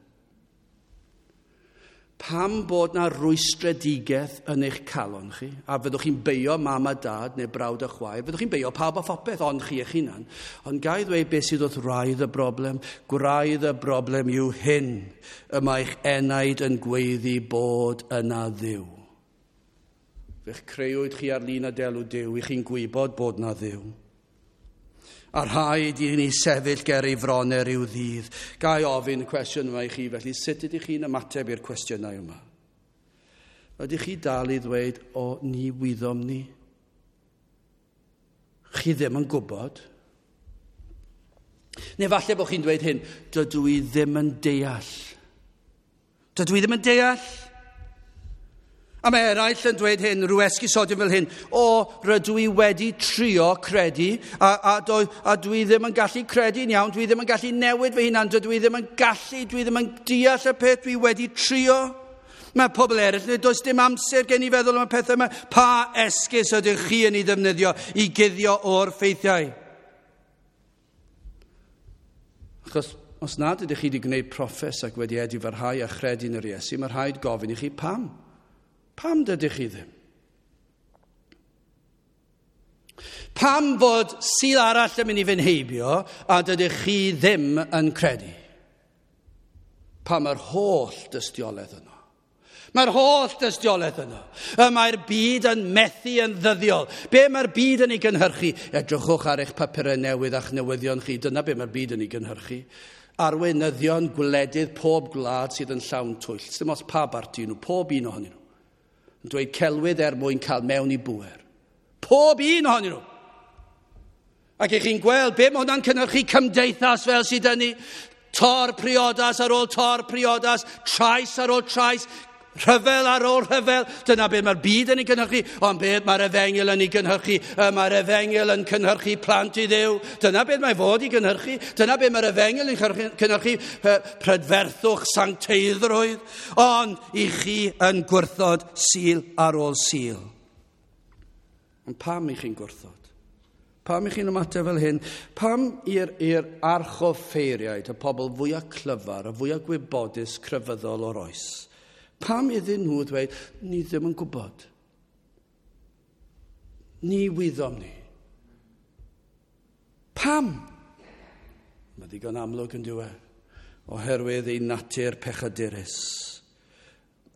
Pam bod na rwystredigaeth yn eich calon chi, a fyddwch chi'n beio mam a dad neu brawd a chwaer, fyddwch chi'n beio pawb a phopeth ond chi eich hunan. Ond ga i ddweud beth sydd wrth wraidd y broblem? Gwraidd y broblem yw hyn, y mae'ch enaid yn gweiddi bod yna Dduw. Fe'ch creuwyd chi ar lun a delw Duw, i chi'n gwybod bod na Dduw. A rhaid i ni sefyll ger ei fronau ryw ddydd. Ga i ofyn y cwestiwn yma i chi, felly sut ydych chi'n ymateb i'r cwestiynau yma? Ydych chi dal i ddweud, o, ni wyddom ni? Chi ddim yn gwybod? Neu falle bod chi'n dweud hyn, dydw i ddim yn deall. Dydw i ddim yn deall. A mae eraill yn dweud hyn, rhyw esgusodion fel hyn, o, rydw i wedi trio credu, a, a, do, a dwi ddim yn gallu credu'n iawn, dwi ddim yn gallu newid fy hunan, dydw i ddim yn gallu, dwi ddim yn deall y peth, dwi wedi trio. Mae pobl eraill, does dim amser gen i feddwl am y pethau yma. Pa esgus ydych chi yn ei ddefnyddio i guddio o'r ffeithiau? Achos os nad ydych chi wedi gwneud proffes ac wedi edifarhau a chredu yn yr Iesu, mae rhaid gofyn i chi pam. Pam dydych chi ddim? Pam fod Sul arall yn mynd i fynd heibio a dydych chi ddim yn credu? Pam yr holl dystiolaeth yno? Mae'r holl dystiolaeth yno. Y mae'r byd yn methu yn ddyddiol. Be mae'r byd yn ei gynhyrchu? Edrychwch ar eich papurau newydd a'ch newyddion chi. Dyna be mae'r byd yn ei gynhyrchu. Arweinyddion gwledydd pob gwlad sydd yn llawn twyll. Dim ots pa barti nhw, pob un ohonyn nhw. Yn dweud celwydd er mwyn cael mewn i bŵer. Pob un ohonyn nhw. Ac ych chi'n gweld be mae hwnna'n cynhyrchu cymdeithas fel sydd yn ni. Tor priodas ar ôl tor priodas, trais ar ôl trais, Rhyfel ar ôl rhyfel, dyna beth mae'r byd yn ei gynhyrchu, ond beth mae'r efengyl yn ei gynhyrchu, mae'r efengyl yn cynhyrchu plant i Dduw. Dyna beth mae fod i gynhyrchu, dyna beth mae'r efengyl yn cynhyrchu, prydferthwch, sancteiddrwydd, ond i chi yn gwrthod Sul ar ôl Sul. Ond pam i chi'n gwrthod? Pam i chi'n ymateb fel hyn? Pam i'r, i'r archoffeiriaid, y pobl fwyaf clyfar, y fwyaf gwybodus crefyddol o'r oes? Pam iddyn nhw ddweud, ni ddim yn gwybod. Ni wyddom ni. Pam? Mae ddigon amlwg yn dyw e, oherwydd ei natur pechadurus.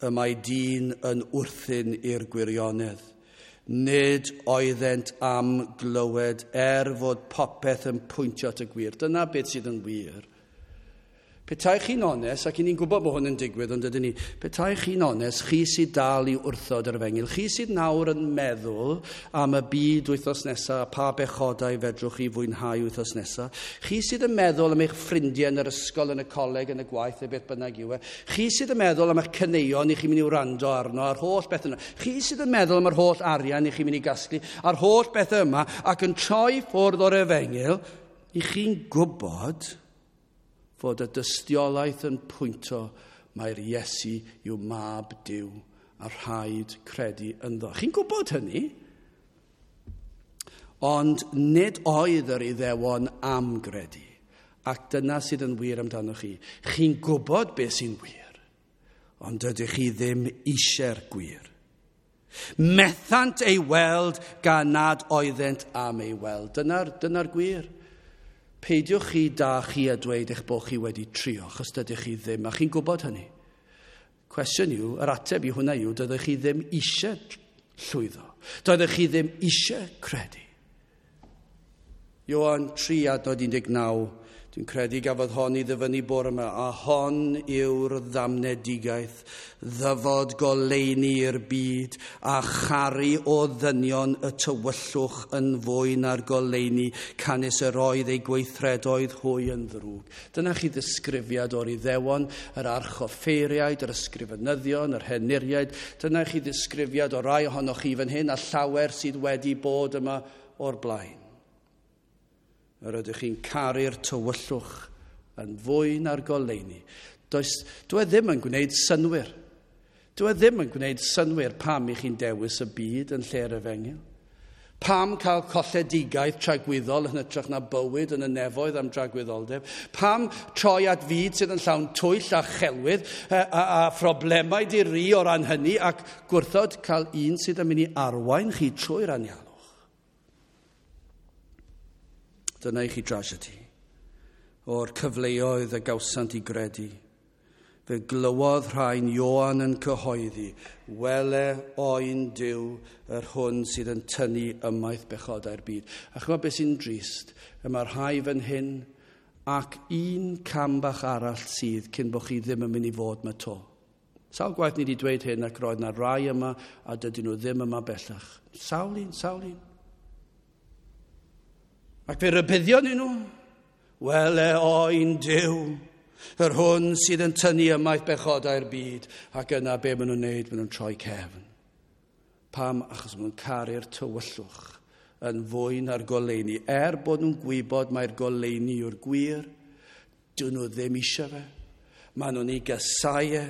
Y mae dyn yn wrthyn i'r gwirionedd. Nid oeddent am glywed er fod popeth yn pwyntio at y gwir. Dyna beth sydd yn wir. Petai chi'n onest, ac i ni'n gwybod bod hwn yn digwydd, ond ydyn ni, petai chi'n onest, chi sydd dal i wrthod yr efengyl, chi sydd nawr yn meddwl am y byd wythnos nesaf, pa bechodau fedrwch chi fwynhau wythnos nesaf, chi sydd yn meddwl am eich ffrindiau yn yr ysgol, yn y coleg, yn y gwaith, neu beth bynnag yw e, chi sydd yn meddwl am eich caneuon i chi'n mynd i wrando arno, a'r holl beth yna, chi sydd yn meddwl am yr holl arian i chi'n mynd i gasglu, a'r holl beth yma, ac yn troi ffwrdd o'r efengyl, i chi'n gwybod fod y dystiolaeth yn pwyntio mai'r Iesu yw mab Duw a rhaid credu ynddo. Chi'n gwybod hynny? Ond nid oedd yr Iddewon am gredu. Ac dyna sydd yn wir amdano chi. Chi'n gwybod beth sy'n wir, ond dydych chi ddim eisiau'r gwir. Methant ei weld gan nad oeddent am ei weld. Dyna'r, dyna'r gwir. Peidiwch chi da chi a dweud eich bod chi wedi trio, achos dydych chi ddim, a chi'n gwybod hynny. Cwestiwn yw, yr ateb i hwnna yw, dydych chi ddim eisiau llwyddo. Dydych chi ddim eisiau credu. Ioan tri adnod un deg naw, dwi'n credu gafodd hon i ddyfynnu bore yma, a hon yw'r ddamnedigaeth, ddyfod goleuni i'r byd, a charu o ddynion y tywyllwch yn fwy na'r goleuni, canys yr oedd ei gweithredoedd hwy yn ddrwg. Dyna chi ddisgrifiad o'r Iddewon, yr archoffeiriaid, yr ysgrifenyddion, yr henuriaid. Dyna chi ddisgrifiad o rai ohonoch chi fan hyn, a llawer sydd wedi bod yma o'r blaen. Yr ydych chi'n caru'r tywyllwch yn fwy na'r goleuni. Does, dwi ddim yn gwneud synnwyr. Dwi ddim yn gwneud synnwyr pam i chi'n dewis y byd yn lle'r efengyl. Pam cael colledigaeth tragwyddol yn hytrach na bywyd yn y nefoedd am dragwyddoldeb? Pam troi at fyd sydd yn llawn twyll a chelwydd a, a, a phroblemau di-ri o ran hynny ac gwrthod cael un sydd yn mynd i arwain chi trwy'r anialwch? Dyna i chi drasiedi o'r cyfleoedd y gawsant i gredu. Fe glywodd rhain Ioan yn cyhoeddi, wele oen Duw yr hwn sydd yn tynnu ymaith bechodau'r byd. A chymod beth sy'n drist? Y mae rhai fan hyn ac un cam bach arall sydd cyn bod chi ddim yn mynd i fod yma to. Sawl gwaith ni wedi dweud hyn ac roedd na rai yma a dydyn nhw ddim yma bellach. Sawl un, sawl un. Ac fe rybuddion nhw, wele oen Duw, yr hwn sydd yn tynnu ymaith bechodau'r byd, ac yna be maen nhw'n wneud, maen nhw'n troi cefn. Pam? Achos maen nhw'n caru'r tywyllwch yn fwy na'r goleuni. Er bod nhw'n gwybod mai'r goleuni yw'r gwir, dyn nhw ddim eisiau fe. Maen nhw'n ei gasau e.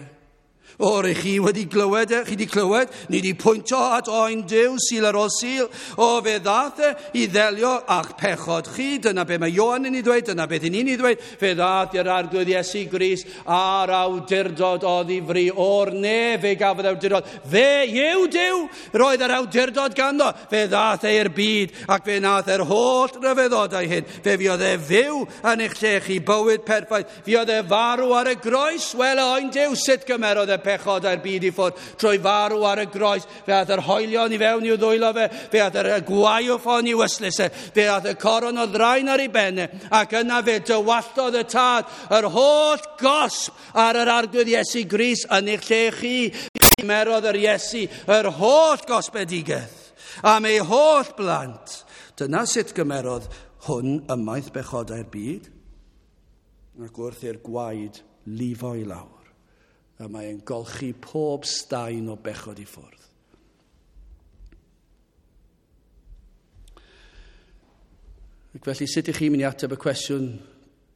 O, rych chi wedi glywed e, chi wedi clywed, ni wedi pwyntio at oen Duw, Sul ar ôl Sul. O, fe ddath e i ddelio â'ch pechod chi, dyna be mae Ioan yn ei ddweud, dyna beth ni'n ei ddweud. Fe ddath i'r Arglwydd Iesu Grist a'r awdurdod oddi fri o'r nef, fe gafodd awdurdod. Fe yw Duw, roedd yr awdurdod ganddo. Fe ddath e i'r byd ac fe nath yr holl ryfeddodau hyn. Fe fuodd e fyw yn eich lle chi, bywyd perffaith. Fuodd e farw ar y groes, wel oen Duw, sut gymerodd e pechodau'r byd i ffwrdd trwy farw ar y groes. Fe ath yr hoelion i fewn i'w ddwylo fe, fe ath yr gwaywffon i'w ystlys e, fe ath y coron o ddraen ar ei ben e, ac yna fe dywalltodd y tad yr holl gosb ar yr Arglwydd Iesu Grist yn eich lle chi. Cymerodd yr Iesu yr holl gosbedigaeth am ei holl blant. Dyna sut gymerodd hwn ymaith bechodau'r byd, ac wrth i'r gwaed lifo i lawr, Y mae'n golchi pob staen o bechod i ffwrdd. Ac felly, sut ych chi'n mynd i ateb y cwestiwn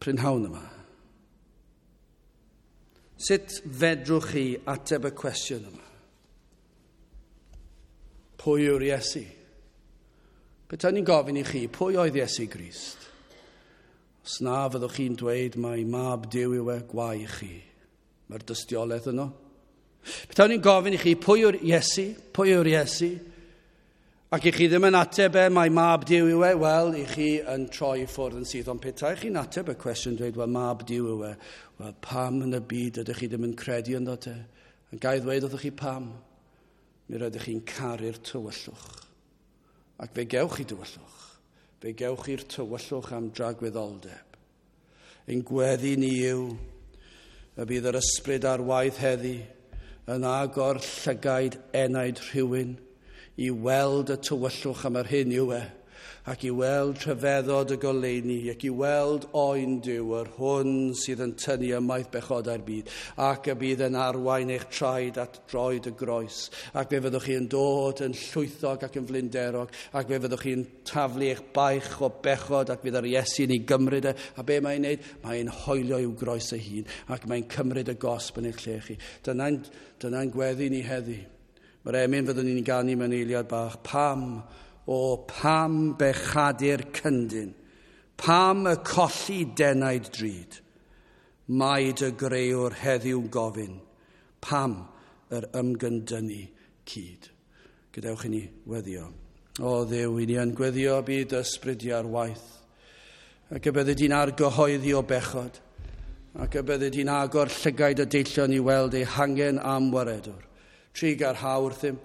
prynhawn yma? Sut fedrwch chi ateb y cwestiwn yma? Pwy yw'r Iesu? Petai ni'n gofyn i chi, pwy oedd Iesu Grist? Os na fyddwch chi'n dweud mai mab Duw yw e, gwae i chi. Mae'r dystiolaeth yno. Petai ni'n gofyn i chi, pwy yw'r Iesu? Pwy yw'r Iesu? Ac i chi ddim yn ateb e, mai mab Duw yw e, wel, i chi yn troi i ffwrdd yn syth. Ond petai chi'n ateb y cwestiwn dweud, wel, mab Duw yw e, wel, pam yn y byd ydych chi ddim yn credu ynddo te? Yn ga i ddweud wrthych chi pam? Mi rydych chi'n caru'r tywyllwch. Ac fe gewch chi dywyllwch. Fe gewch chi'r tywyllwch am dragwyddoldeb. Ein gweddi ni yw y bydd yr ysbryd ar waith heddi yn agor llygaid enaid rhywun i weld y tywyllwch am yr hyn yw e, ac i weld rhyfeddod y goleuni, ac i weld oen Duw, yr hwn sydd yn tynnu ymaith bechodau'r byd, ac y bydd yn arwain eich traed at droed y groes, ac fe fyddwch chi yn dod yn llwythog ac yn flinderog, ac fe fyddwch chi'n taflu eich baich o bechod, ac fydd yr Iesu'n ei gymryd e, a be mae'n neud? Mae'n hoelio i'w groes ei hun, ac mae'n cymryd y gosb yn eich lle chi. Dyna'n dyna gweddi ni heddi. Mae'r emyn fyddwn ni'n ganu mewn eiliad bach. Pam, o pam bechadur cyndyn, pam y colli denaid drud, mae dy greuwr heddiw'n gofyn, pam yr ymgyndynnu cyd. Gadewch i ni weddio. O Dduw, i ni yn gweddio bydd ysbryd di ar waith, ac y byddi di'n argyhoeddi o bechod, ac y byddi di'n agor llygaid y deillion i weld eu hangen am waredwr. Trugarha wrthym,